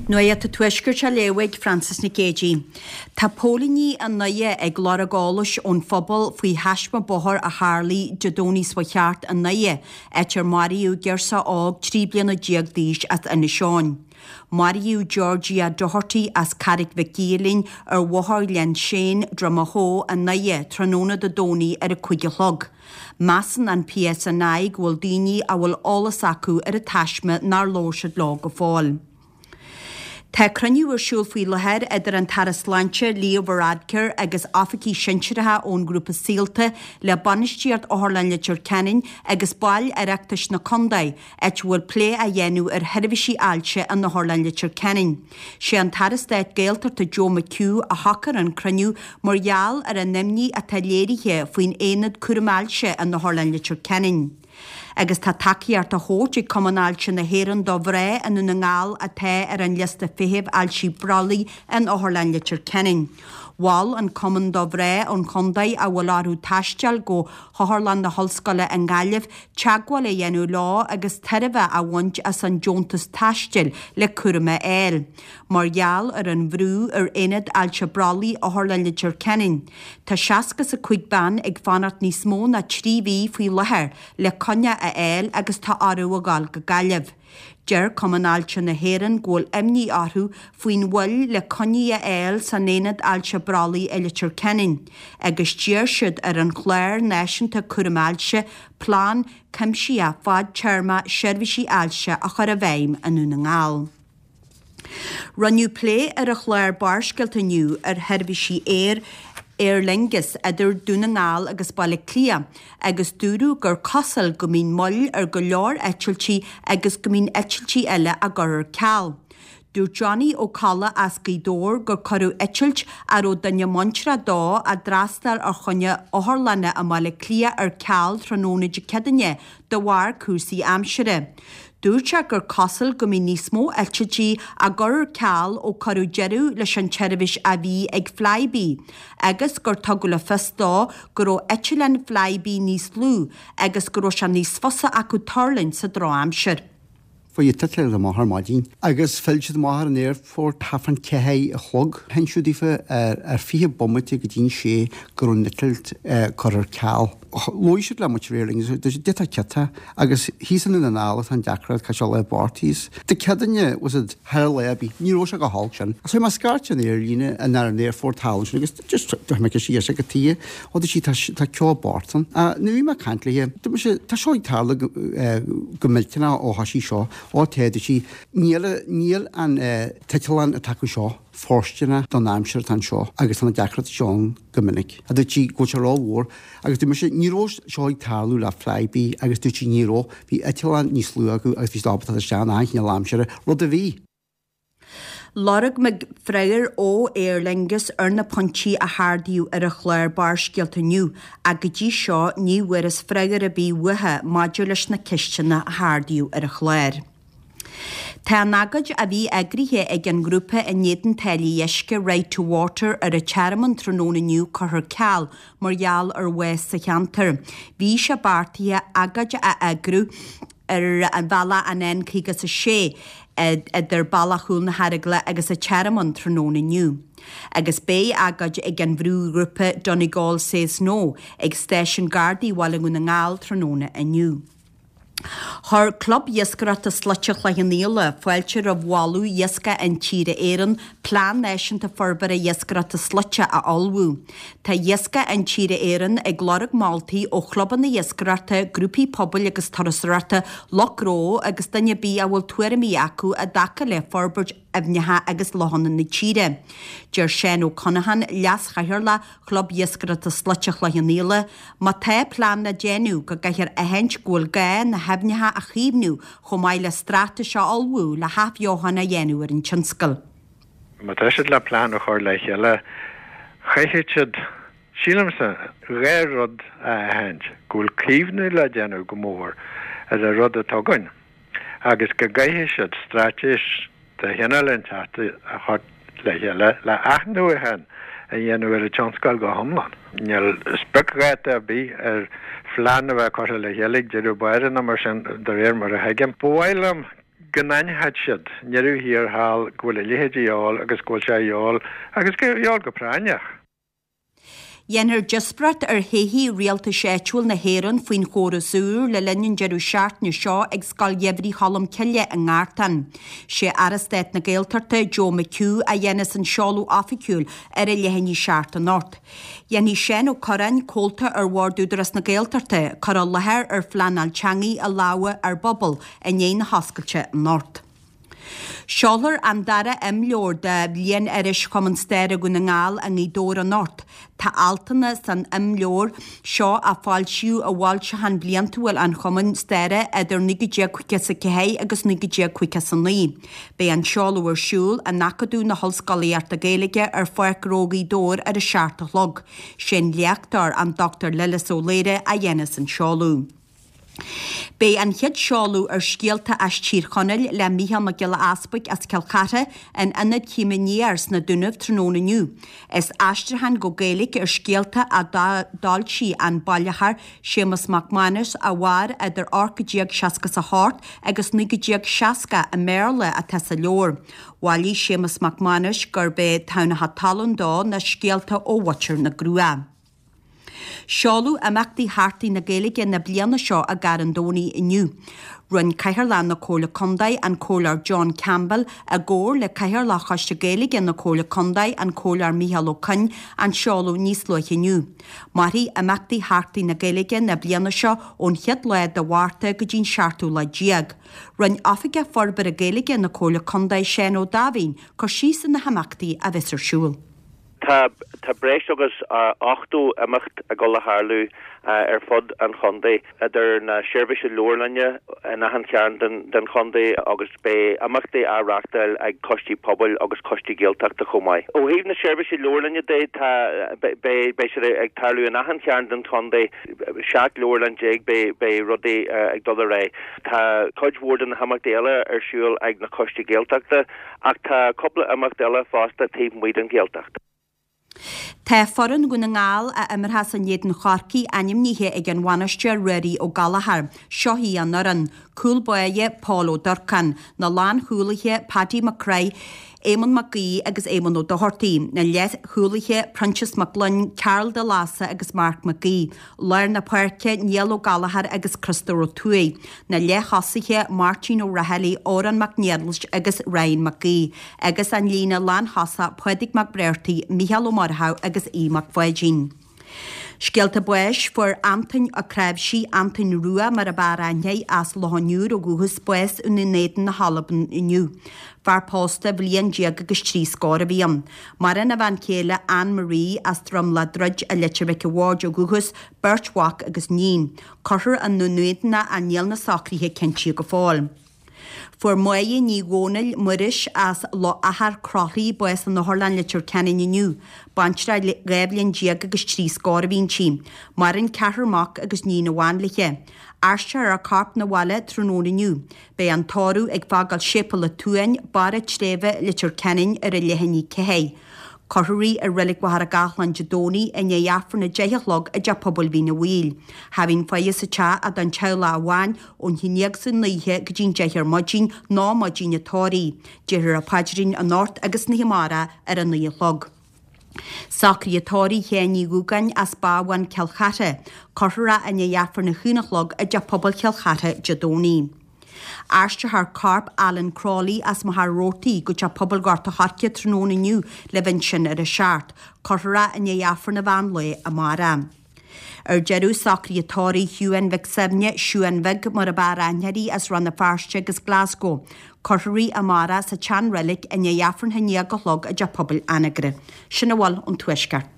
Nuacht an Tuaiscirt á léamh ag Frances Nic Géadaigh. Tá póilíní i nDoire ag lorg eolais ón phobal faoi thaisme bóthair a tharlaigh Dé Domhnaigh seo thart i nDoire, áit ar maraíodh girseach óg 13 bliana d'aois as Inis Eoghain. Maraíodh Georgia Doherty as Carraig Mhic Giolláin ar Bhóthar Ghleann Séin, Droim Echó, i nDoire, tráthnóna Dé Domhnaigh ar a 5 a chlog. Measann an PSNI go bhfuil daoine a bhfuil eolas acu ar an taisme nár labhair siad leo go fóill. Tá cruinniú ar siúl faoi láthair idir an tAire Sláinte Leo Varadkar agus oifigigh shinsearacha ón ngrúpa Saolta le bainistíocht Otharlann Leitir Ceanainn agus baill Oireachtais na contae, áit a bhfuil plé á dhéanamh ar sheirbhísí ailse in Otharlann Leitir Ceanainn. Sé an tAire Stáit Gaeltachta Joe McHugh a shocair an cruinniú mar gheall ar an imní atá léirithe faoin aonad cúram ailse in Otharlann Leitir Ceanainn. Agus tá tacaíocht á thabhairt ag Cumann Ailse na hÉireann do mhná i nDún na nGall atá ar an liosta feithimh ailse brollaigh in Otharlann Leitir Ceanainn. Mhol an Cumann do mhná ón chontae a bhfuil orthu taisteal go hOtharlann na hOllscoile i nGaillimh teagmháil a dhéanamh leo agus tairbhe a bhaint as an deontas taistil le cúram a fháil. Mar gheall ar an bhrú ar Aonad Ailse Brollaigh Otharlann Leitir Ceanainn, tá 65 bean ag fanacht níos mó ná 3 mhí faoi láthair le coinne a fháil agus tá orthu a dhul go Gaillimh. Deir Cumann Ailse na hÉireann go bhfuil imní orthu faoin mhoill le coinní a fháil san Aonad Ailse Brollaigh i Leitir Ceanainn agus d'iarr siad ar an Chlár Náisiúnta Cúraim Ailse plean cuimsitheach fadtéarmach seirbhísí ailse a chur i bhfeidhm i nDún na nGall. Rinneadh plé ar an chlár Barrscéalta inniu ar sheirbhísí aeir Aer Lingus idir Dún na nGall agus Baile Átha Cliath agus dúradh gur cosúil go mbíonn moill ar go leor eitiltí agus go mbíonn eitiltí eile á gcur ar ceal. Dúirt Johnny Ó Colla as Gaoth Dobhair gur cuireadh eitilt a raibh duine muinteartha dó a d'fhreastail ar choinne otharlainne i mBaile Átha Cliath ar ceal tráthnóna Dé Céadaoine de bharr cúrsaí aimsire. Dúirt sé gur cosúil go mbíonn níos mó eitiltí á gcur ar ceal ó cuireadh deireadh leis an tseirbhís a bhí ag Flybe agus gur tugadh le fios dó go raibh eitleáin Flybe níos lú agus go raibh sé níos fusa acu tuirlingt sa drochaimsir. Fuair an t-eitleán amach ar maidin agus phill siad amach ar an aerfort thart fán 4 a chlog. Hinseadh daofa ar 20 bomaite go dtí'n sé go raibh an eitilt curtha ar ceal. Luaigh siad le muintir Aer Lingus, dúirt siad, D'fhéadfá ciotá agus thíos i nDún na nGall atá an deacracht, caithfidh sé lá bort thíos. Dé Céadaoine, was it, thar lá ar bith, ní raibh sé go holc sin. So mé scairt an aerlíne an ar an aerfort thall ansin agus just chuir mé ceist dheis ag tuighe, ó dúirt sí tá tá ceo bort ann. Nuair a bhí mé ag caint léi, dúirt mise, tá seo ag tarlú go go millteanach ó thoisigh seo, ó tá, dúirt sí, níl níl an t-eitleán atá acu seo fóirsteanach don aimsir atá anseo agus tá na deacrachtaí seo ann go minic. A dúirt sí go bhfuil sé rómhór agus dúirt mise ní raibh seo ag tarlú le Flybe agus dúirt sí ní raibh, bhí eitleán níos lú acu agus bhí siad ábalta dul isteach in achan chineál aimsire, rud a bhí. Lorg muid freagra ó Aer Lingus ar na pointí a hardaíodh ar an chlár Barrscéalta inniu ach go dtí seo ní bhfuarthas freagra ar bith uathu maidir leis na ceisteanna a hardaíodh ar an chlár. Tá an agóid a bhí eagraithe ag an ngrúpa in éadan táillí uisce Right to Water ar an Tearmann tráthnóna inniu curtha ar ceal mar gheall ar bhás sa cheantar. Bhí sé beartaithe agóid a eagrú ar bhealach an N56 idir Bealach Chúl na hEaragla agus an Tearmann tráthnóna inniu. Agus beidh agóid ag an bhrúghrúpa Donegal Says No ag Stáisiún Gardaí Bhaile Dhún na nGall tráthnóna inniu. Chuir Club Iascaireachta Slaite Chloich Cheann Fhaola fáilte roimh mholadh Iascach Intíre Éireann Plean Náisiúnta Forbartha Iascaireachta Slaite a ullmhú. Tá Iascach Intíre Éireann ag lorg moltaí ó chlubanna iascaireachta, grúpaí pobail agus turasóireachta, lucht gnó agus duine ar bith a bhfuil tuairimí acu i dtaca le forbairt aibhneacha agus lochanna na tíre. Deir Seán Ó Conacháin, Leas-Chathaoirleach Chlub Iascaireachta Slaite Chloich Cheann Fhaola, má tá plean le déanamh, go gcaithfear aithint go bhfuil gá na haibhneacha a chaomhnú chomh maith le straitéis a ullmhú le hathbheochan a dhéanamh ar an tionscal. Má tá siad le plean a chur le chéile, caithfidh siad, sílimse, dhá rud a aithint, go bhfuil caomhnú le déanamh go mór ar an rud atá againn agus go gcaithfidh siad straitéis de chineál inteacht a chur le chéile le athnuachan a dhéanamh ar an tionscal go hiomlán. Níl spriocdháta ar bith ar phlean a bheith curtha le chéile ag deireadh báire ná mar sin, de réir mar a thuigim. Ba mhaith liom. Go n-aithneoidh siad, i ndeireadh thiar thall, go bhfuil a leithéid de dhíobháil agus go bhfuil sé a dhíobháil agus go dhíobháil go práinneach. Dhéanfar díospóireacht ar thodhchaí rialtais áitiúil na hÉireann faoin chóras úr le linn an deireadh seachtaine seo ag Scoil Gheimhridh Cholm Cille i nGartán. Sé Aire Stáit na Gaeltachta, Joe McHugh, a dhéanfas an seoladh oifigiúil ar a leath i ndiaidh a 7 anocht. Dhéanfaidh Seán Ó Cuirreáin, comhalta ar Bhord Údarás na Gaeltachta, cur i láthair ar phleanáil teanga i lámha ár bpobal i ndiaidh na hoscailte anocht. Seolfar an dara imleabhar de bhliain-iris Chumann Staire Dhún na nGall i nGaoth Dobhair anocht. Tá altanna san imleabhar seo a foilsíodh i bhfoilseachán bliantúil an Chumainn Staire idir 1954 agus 1959. Beidh an seoladh ar siúl in Acadamh na hOllscolaíochta Gaeilge ar Pháirc Ghnó Ghaoth Dobhair ar a 7 a chlog. Sé'n léachtóir, an Dr Lillis Ó Laoire, a dhéanfas an seoladh. Beidh an chéad seoladh ar Scéalta as Tír Chonaill le Mícheál Mac Giolla Easpaig as Cill Chartha in Ionad Chéim Aniar sna Dúnaibh tráthnóna inniu. Is aistriúchán go Gaeilge ar scéalta a d'fhoilsigh an bailitheoir Séamus Mac Mánais a mhair idir 1868 agus 1960 i mBéarla atá sa leabhar. Bhailigh Séamus Mac Mánais gurb é Tamhnacha Talún dó na scéalta ó Bhutcher na gCruach. Seoladh imeachtaí Sheachtain na Gaeilge na bliana seo i gCarn Domhnaigh inniu. Rinne Cathaoirleach na Comhairle Contae, an Comhairleoir John Campbell, i gcomhar le Cathaoirleach Choiste Gaeilge na Comhairle Contae, an Comhairleoir Micheál Ó Coinn, an seoladh níos luaithe inniu. Mairfidh imeachtaí Sheachtain na Gaeilge na bliana seo ón chéad lá de Mhárta go dtí'n seachtú lá déag. Rinne Oifigeach Forbartha Gaeilge na Comhairle Contae, Seán Ó Daimhín, cur síos ar na himeachtaí a bheas ar siúl. Tá tá breis agus 80 imeacht ag dul a tharlú ar fud an chontae, idir na seirbhísí leabharlainne in achan chearn den chontae agus beidh imeachtaí á reáchtáil ag coistí pobail agus coistí Gaeltachta chomh maith. Ó thaobh na seirbhísí leabharlainne de, tá beidh beidh siad ag tarlú in achan chearn den chontae, 17 leabharlann beidh beidh rudaí ag dul ar aghaidh. Tá cuid mhór de na himeachtaí eile ar siúl ag na coistí Gaeltachta. Ach tá cúpla imeacht eile fosta taobh amuigh den Ghaeltacht. Tá foireann Dhún na nGall a imreochas in éadan Chorcaí ainmnithe ag an bhainisteoir Ruairí Ó Gallchóir. Seo í an fhoireann, Cúl báire, Pól Ó Durcáin, Na lánchúlaithe, Paddy McCrory, Éamonn Mac Aoidh agus Éamonn Ó Dochartaigh, Na leathchúlaithe, Proinsias Mac Gloinn, Karl De Lása agus Mark McGee, Lár na páirce, Niall Ó Gallchóir agus Criostóir Ó Tuathaigh, Na leath-thosaithe, Máirtín Ó Raghallaigh, Odhrán Mac Niallais agus Ryan McGee, agus an líne lánthosach, Pádraig Mac Bréartaigh, Mícheál Ó Murchú agus Aodh Mac Pháidín. Scéalta báis, Fuair Antoin Ó Cnáimhsí, Antoin Rua mar ab fhearr aithne air, as Loch an Iúir ó dhúchas, bás i nDún Éideann na hAlban inniu. Fear pósta bhliain déag agus trí scór a bhí ann. Maireann a bhean chéile Anne Marie as Droim Ladruid i Leitir Mhic a' Bhaird ó dhúchas, beirt mhac agus níon. Cuirfear i nDún Éideann í ach níl na socruithe cinntithe go fóill. Fuair Máire Ní Dhomhnaill, Muiris, as Loch Achar, Croithlí, bás in Otharlann Leitir Ceanainn inniu. Baintreach le 12 bhliain agus trí scór a bhí inti. Maireann ceathrar mac agus níon amháin léi. Aistreofar a corp 'na bhaile tráthnóna inniu. Beidh an tórramh ag fágáil Séipéal an tSuain, Barr an tSléibhe, Leitir Ceanainn ar a leath i ndiaidh 4. Cuirfear í i Reilig Mhachaire Gathlán Dé Domhnaigh i ndiaidh Aifreann a 10 a chlog i dTeach Pobail Mhín a' Mhaoil. Cha bhíonn faire sa teach ach don teaghlach amháin ón haon dhéag san oíche go dtí'n 10 ar maidin nó maidin an tórraimh. Déarfar an paidrín anocht agus an oíche amárach ar a 9 a chlog. Socruithe tórraimh Sheáin Uí Dhúgáin as Bábhán, Cill Chartha. Cuirfear é i ndiaidh Aifreann a haon a chlog i dTeach Pobail Chill Chartha Dé Domhnaigh. Aistreofar corp Alan Crowley as Machaire Rabhartaigh go Teach Pobail Ghort a' Choirce tráthnóna inniu le bheith ansin ar a seacht. Cuirfear é i ndiaidh Aifreann an mheán lae amárach. Ar deireadh, socruithe tórraimh Shiúán Mhic Suibhne, Siúán Bheag mar ab fhearr aithne uirthi, as Rann na Feirste agus Glasgow. Cuirfear í amárach sa tSean-Reilig i ndiaidh Aifreann a haon déag a chlog i dTeach Pobail Anagaire. Sin a bhfuil ón Tuaisceart.